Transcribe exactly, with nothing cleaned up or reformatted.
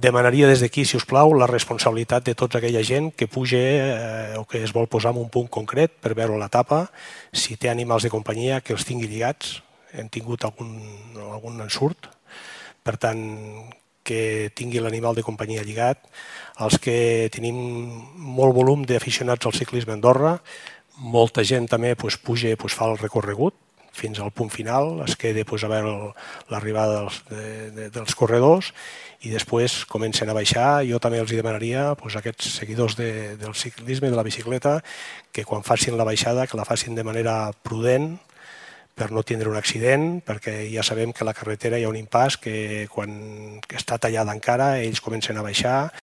demanaria des d'aquí, si us plau, la responsabilitat de tota aquella gent que puja o que es vol posar en un punt concret per veure l'etapa, si té animals de companyia, que els tingui lligats. Hem tingut algun ensurt, per tant, que tingui l'animal de companyia lligat. Els que tenim molt volum d'aficionats al ciclisme a Andorra, molta gent també puja i fa el recorregut fins al punt final, es queda a veure l'arribada dels corredors i després comencen a baixar. Jo també els demanaria a aquests seguidors del ciclisme, de la bicicleta, que quan facin la baixada que la facin de manera prudent per no tindre un accident, perquè ja sabem que a la carretera hi ha un impàs que quan està tallada encara ells comencen a baixar